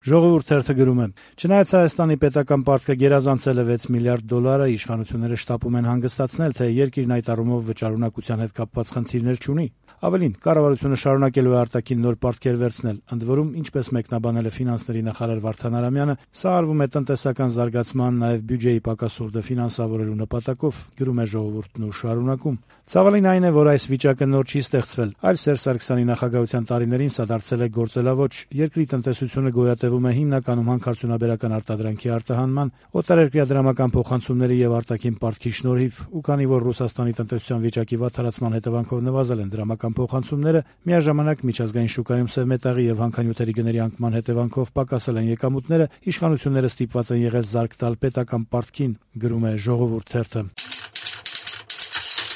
Ժողովուրդ թերթը գրում է. «Չնայած Հայաստանի պետական պարտքը գերազանցել է 6 միլիարդ դոլարը, իշխանությունները շտապում են հանգստացնել, թե երկիրն այդ առումով վճարունակության հետ կապված խնդիրներ չունի։ Ավելին, կառավարությունը շարունակելու է արտաքին նոր պարտքեր վերցնել, ընդ որում, ինչպես մեկնաբանել է ֆինանսների նախարար Վարդան Արամյանը, սա արվում է տնտեսական զարգացման, նաև բյուջեի պակասուրդը ֆինանսավորելու նպատակով», գրում է Ժողովուրդն ու շարունակում. «Ցավալին այն է, որ այս վիճակը նոր չի ստեղծվել, այլ Սերժ Սարգսյանի նախագահության տարիներին սա դարձել է գործելավոճ։ Երկրի տնտեսությունը գոյատևում է հիմնականում հանքարդյունաբերական արտադրանքի արտահանման, օտարերկրյա դրամական փոխանցումների եւ արտաքին պարտքի շնորհիվ, ու քանի որ Ռուսաստանի տնտեսության վիճակի վատթարացման հետևանքով նվազել են դրամական փոխանցումները, միաժամանակ միջազգային շուկայում սև մետաղի եւ հանքանյութերի գների անկման հետևանքով պակասել են եկամուտները, իշխանությունները ստիպված են եղել զարկ տալ պետական պարտքին», գրում է Ժողովուրդ թերթը։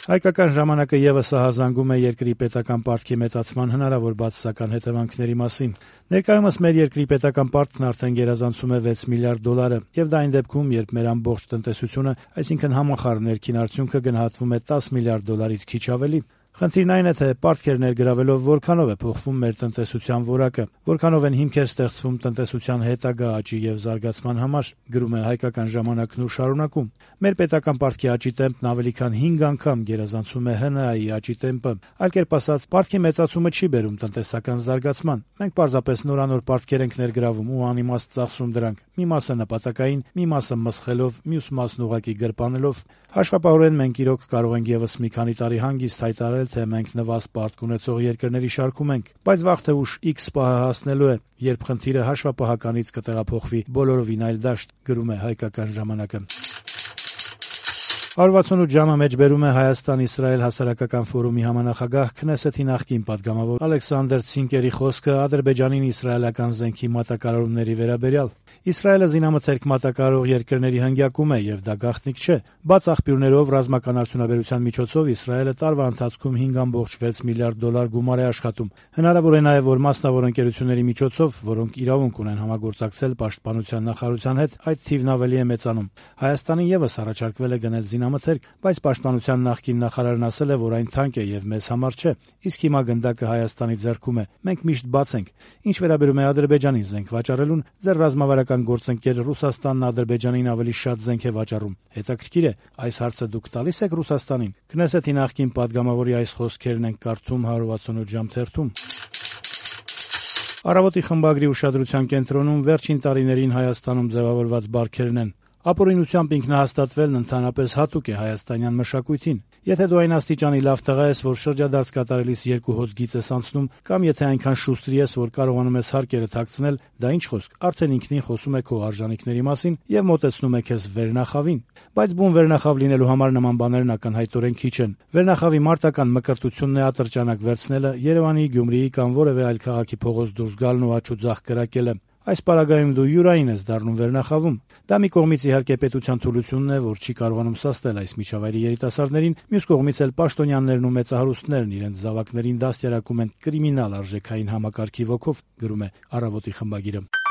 Հայկական ժամանակը եւս ահազանգում է երկրի պետական պարտքի մեծացման հնարավոր բացասական հետևանքների մասին։ Ներկայումս մեր երկրի պետական պարտքն արդեն գերազանցում է 6 միլիարդ դոլարը, եւ դա այն դեպքում, երբ մեր ամբողջ տնտեսությունը, այսինքն համախառն ներքին արդյունքը գնահատվում է 10 միլիարդ դոլարից քիչ ավելի։ Խնդիրն այն է, թե պարտքեր ներգրավելով որքանով է փոխվում մեր տնտեսության որակը, որքանով են հիմքեր ստեղծվում տնտեսության հետագա աճի եւ զարգացման համար, գրում է Հայկական ժամանակն ու շարունակում. «Մեր պետական պարտքի աճի տեմպն ավելի քան 5 անգամ գերազանցում է ՀՆԱ-ի աճի տեմպը, այլ կերպ ասած, պարտքի մեծացումը չի բերում տնտեսական զարգացման։ Մենք պարզապես նորանոր պարտքեր ենք ներգրավում ու անիմաստ ծախսում դրանք, մի մասը նպատակային, մի մասը մսխելով, մյուս մասն ուղղակի գրպանելով։ Հաշվապահորեն մենք իրոք կարող ենք եւս մի քանի տարի հանգիստ հայտարարել, թե մենք նվազ պարտք ունեցող երկրների շարքում ենք, բայց վաղ թե ուշ X պահը հասնելու է, երբ խնդիրը հաշվապահականից կտեղափոխվի բոլորովին այլ դաշտ», գրում է Հայկական ժամանակը։ 168 ժամը մեջբերում է Հայաստան-Իսրայել հասարակական ֆորումի համանախագահ Քնեսեթի նախկին պատգամավոր Ալեքսանդր Ցինկերի խոսքը Ադրբեջանին իսրայելական զենքի մատակարարումների վերաբերյալ։ Իսրայելը զինամթերք մատակարարող երկրների հնգյակում է, եւ դա գաղտնիք չէ։ Բաց աղբյուրներով ռազմական արդյունաբերության միջոցով Իսրայելը տարվա ընթացքում 5.6 միլիարդ դոլար գումար է աշխատում։ Հնարավոր է նաեւ, որ մասնավոր ընկերությունների միջոցով, որոնք իրավունք ունեն համագործակցել պաշտպանության նախարարության հետ, այդ թիվն ավելի է մեծանում։ Հայաստանին եւս առաջարկվել է գնել զինամթերք, բայց պաշտպանության նախկին նախարարն ասել է, որ այն թանկ է եւ մեզ համար չէ, իսկ հիմա գնդակը Հայաստանի ձեռքում է։ Մենք միշտ բաց ենք։ Ինչ վերաբերում է Ադրբեջանին զենք վաճառելուն, ձեր ռազմավարական գործընկեր Ռուսաստանն Ադրբեջանին ավելի շատ զենք է վաճառում։ Հետաքրքիր է, այս հարցը դուք տալիս եք Ռուսաստանին։ Քնեսեթի նախկին պատգամավորի այս խոսքերն են կարդում 168 ժամ թերթում։ Առավոտի խմբագրի ուշադրության կենտրոնում վերջին տարիներին Հայաստանում ձևավորված բարքերն են։ Ապօրինությամբ ինքնահաստատվելն ընդհանրապես հատուկ է հայաստանյան մշակույթին։ Եթե դու այն աստիճանի լավ տղա ես, որ շրջադարձ կատարելիս 2 հոց գիծ ես անցնում, կամ եթե այնքան շուստր ես, որ կարողանում ես հարկերը թաքցնել, դա ինչ խոսք, արդեն ինքնին խոսում է քո արժանինքների մասին եւ մոտեցնում է քեզ վերնախավին։ Բայց բուն վերնախավ լինելու համար նման բաներն ակնհայտորեն քիչ են։ Վերնախավի մարտական մկրտությունն է ատրճանակ վերցնելը, Երևանի, Գյումրիի կամ որևէ այլ քաղաքի փողոց դուրս գալն ու աչու ձախ կրակելը։ Այս պարագայում դու յուրային ես դառնում վերնախավում։ Դա մի կողմից իհարկե պետության թուլությունն է, որ չի կարողանում սաստել այս միջավայրի երիտասարդներին, մյուս կողմից էլ պաշտոնյաներն ու մեծահարուստներն իրենց զավակներին դաստիարակում են կրիմինալ արժեքային համակարգի ոգով, գրում է Առավոտի խմբագիրը։